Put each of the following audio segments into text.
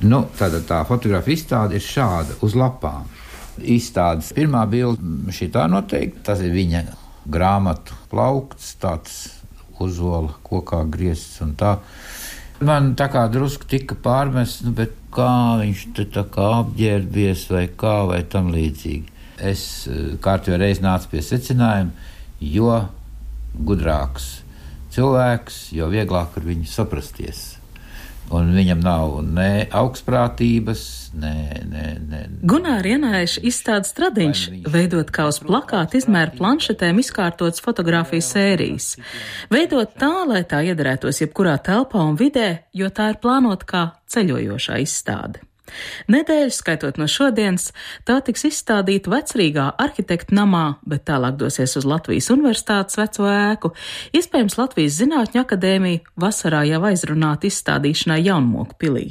Nu, tā fotogrāfa izstāde ir šāda uz lapām. Izstādes pirmā bilde šitā noteikti, tas ir viņa grāmatu plaukts, tāds uzola kokā griezts un tā. Man tā kā drusku tika pārmests, bet kā viņš te tā kā apģērbies vai kā vai tam līdzīgi. Es kārtībā reiz nācu pie secinājuma, jo gudrāks cilvēks, jo vieglāk ar viņu saprasties. Un viņam nav ne augstprātības, ne. Gunāra Janēša izstāde Stradiņš veidot kā uz plakāta izmēra planšetēm izkārtotas fotogrāfijas sērijas. Veidot tā, lai tā iederētos jebkurā telpā un vidē, jo tā ir plānota kā ceļojošā izstāde. Nedēļu, skaitot no šodienas, tā tiks izstādīta Vecrīgā arhitektu namā, bet tālāk dosies uz Latvijas Universitātes veco ēku. Iespējams, Latvijas Zinātņu akadēmija vasarā jau aizrunāta izstādīšanai Jaunmoku pilī.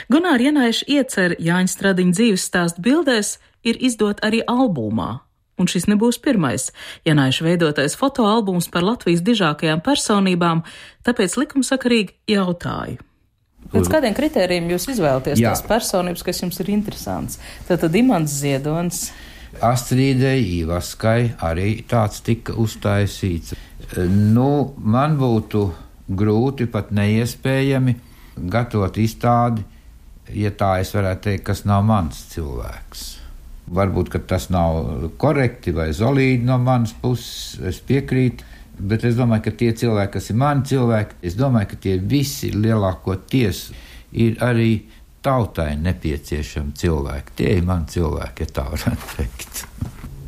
Gunāra Janēša iecer Jāņa Stradiņa dzīves stāstu bildēs ir izdot arī albumā. Un šis nebūs pirmais Janēša veidotais fotoalbums par Latvijas dižākajām personībām, tāpēc likumsakarīgi jautāju. Pēc kādiem kritērijiem jūs izvēlaties tās personības, kas jums ir interesants? Tātad Imants Ziedonis. Astridei Ivaskai arī tāds tika uztaisīts. Man būtu grūti, pat neiespējami gatavot izstādi, ja tā es varētu teikt, kas nav mans cilvēks. Varbūt, ka tas nav korekti vai zolīdi no manas puses, es piekrītu. Bet es domāju, ka tie cilvēki, kas ir mani cilvēki, es domāju, ka tie visi lielākoties ir arī tautai nepieciešami cilvēki. Tie ir mani cilvēki, ja tā varētu teikt.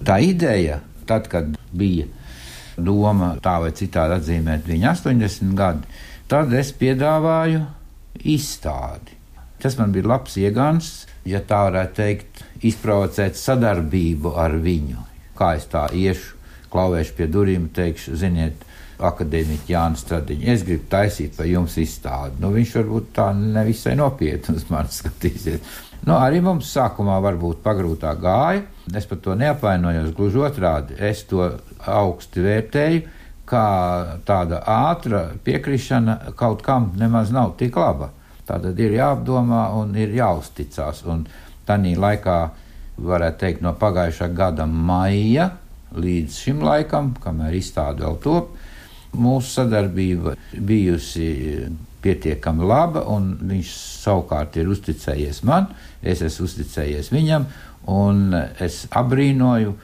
Tā ideja, tad, kad bija doma tā vai citādi atzīmēt viņa 80 gadi, tad es piedāvāju izstādi. Tas man bija labs iegans, ja tā varētu teikt, izprovocēt sadarbību ar viņu. Kā es tā iešu, klauvēšu pie durvīm, teikšu, ziniet, akadēmiķi Jānis Stradiņš, es gribu taisīt par jums izstādi. Viņš varbūt tā nevisai nopietni uz mani skatīsies. Arī mums sākumā varbūt pagrūtā gāja, es par to neapvainojos, gluži otrādi, es to augsti vērtēju, kā tāda ātra piekrišana kaut kam nemaz nav tik laba. Tātad ir jāapdomā un ir jāuzticās, un tanī laikā, varētu teikt, no pagājušā gada maija līdz šim laikam, kamēr izstāde vēl top, mūsu sadarbība bijusi pietiekami laba, un viņš savukārt ir uzticējies man, es esmu uzticējies viņam, un es abrīnoju,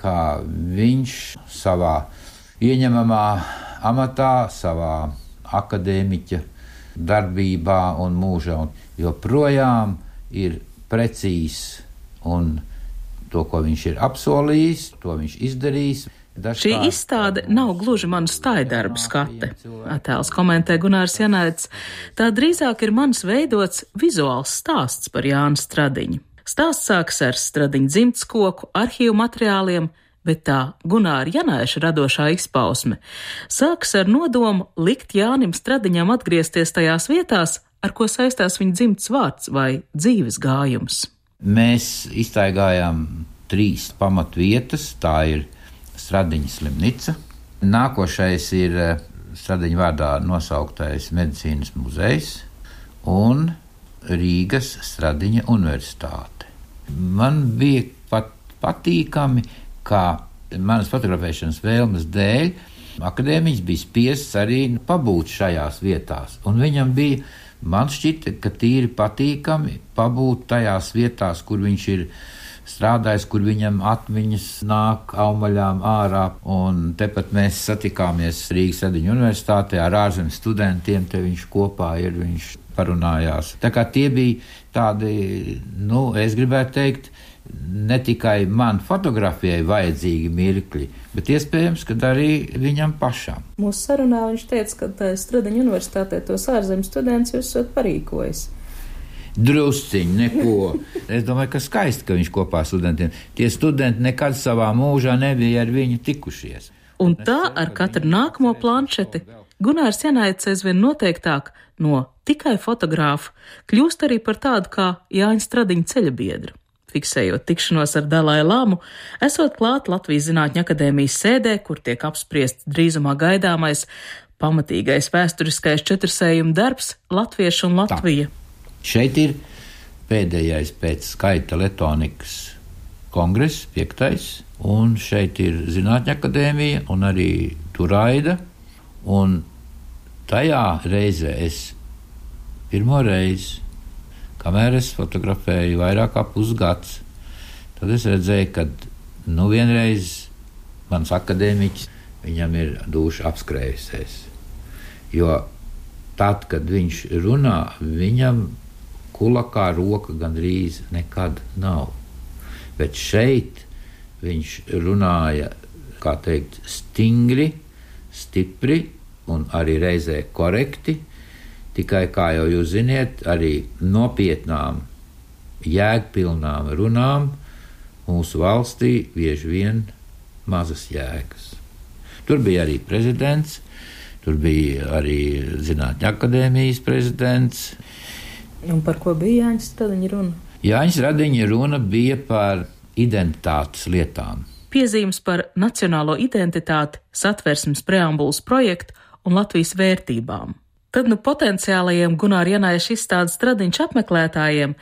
kā viņš savā ieņemamā amatā, savā akadēmiķa darbībā un mūžā, un joprojām ir precīzs un to, ko viņš ir apsolījis, to viņš izdarījis. Šī izstāde nav gluži manu stājdarbu skate. Attēls komentē Gunārs Janēts. Tā drīzāk ir mans veidots vizuāls stāsts par Jānu Stradiņu. Stāsts sākas ar Stradiņa dzimtskoku, arhīvu materiāliem, bet tā Gunāra Janēša radošā izpausme sākas ar nodomu likt Jānim Stradiņam atgriezties tajās vietās, ar ko saistās viņa dzimts vārds vai dzīves gājums. Mēs iztaigājām 3 pamatvietas, tā ir Stradiņa slimnīca. Nākošais ir Stradiņa vārdā nosauktais medicīnas muzejs un Rīgas Stradiņa universitāte. Man bija pat patīkami, kā manas fotografēšanas vēlmes dēļ akadēmiķis bija spiests arī pabūt šajās vietās, un viņam bija, man šķita, ka tīri patīkami pabūt tajās vietās, kur viņš ir strādājis, kur viņam atmiņas nāk aumaļām ārā, un tepat mēs satikāmies Rīgas Stradiņa universitātē ar ārzemju studentiem, te viņš kopā ir, viņš parunājās. Tā kā tie bija tādi, es gribētu teikt, ne tikai man fotografijai vajadzīgi mirkļi, bet iespējams, ka arī viņam pašam. Mūsu sarunā viņš teica, ka Stradiņa universitātē tos ārzemju studentus jūs esat parīkojis. Drusciņi, neko. Es domāju, ka skaisti, ka viņš kopā ar studentiem. Tie studenti nekad savā mūžā nebija ar viņu tikušies. Un tā ar katru nākamo planšeti Gunārs Janēts aizvien noteiktāk no tikai fotogrāfa kļūst arī par tādu kā Jāņa Stradiņa ceļabiedru. Fiksējot tikšanos ar Dalai Lamu, esot klāt Latvijas Zinātņu akadēmijas sēdē, kur tiek apspriests drīzumā gaidāmais pamatīgais vēsturiskais četrsējuma darbs Latvieši un Latvija. Šeit ir pēdējais pēc skaita Letonikas kongress, 5. Un šeit ir Zinātņu akadēmija un arī Turaida. Un tajā reizē es pirmo reizi, kamēr es fotografēju vairāk kā pusgads, tad es redzēju, ka vienreiz mans akadēmiķis, viņam ir duša apskrējusies. Jo tad, kad viņš runā, viņam kulakā roka gandrīz nekad nav. Bet šeit viņš runāja, kā teikt, stingri, stipri un arī reizē korekti, tikai, kā jau jūs ziniet, arī nopietnām, jēgpilnām runām mūsu valstī bieži vien mazas jēgas. Tur bija arī prezidents, tur bija arī Zinātņu akadēmijas prezidents. Un par ko bija Jāņa Stradiņa runa? Jāņa Stradiņa runa bija par identitātes lietām. Piezīmes par nacionālo identitāti, Satversmes preambulas projektu un Latvijas vērtībām. Tad potenciālajiem Gunāra Janaiša izstādes Stradiņš apmeklētājiem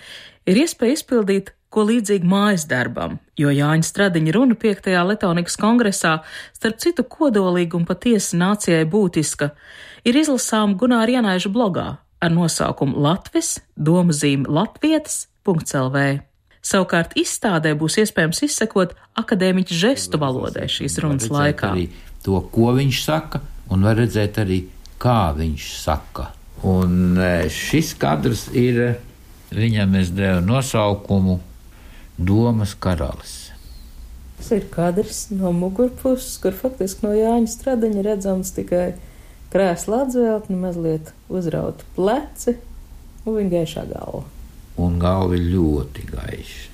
ir iespēja izpildīt ko līdzīgi mājas darbam, jo Jāņa Stradiņa runa 5. Letonikas kongresā, starp citu kodolīga un patiesi nācijai būtiska, ir izlasām Gunāra Janaiša blogā ar nosaukumu Latvis, domazīme latvietis.lv. Savukārt izstādē būs iespējams izsekot akadēmiķa žestu valodai šīs runas laikā. Arī to, ko viņš saka, un var redzēt arī, kā viņš saka. Un šis kadrs ir, viņam es devu nosaukumu Domas karalis. Tas ir kadrs no mugurpuses, kur faktiski no Jāņa Stradiņa redzams tikai krēsla atzveltni, mazliet uzrauti pleci un viņa gaišā galva. Un galva ir ļoti gaiša.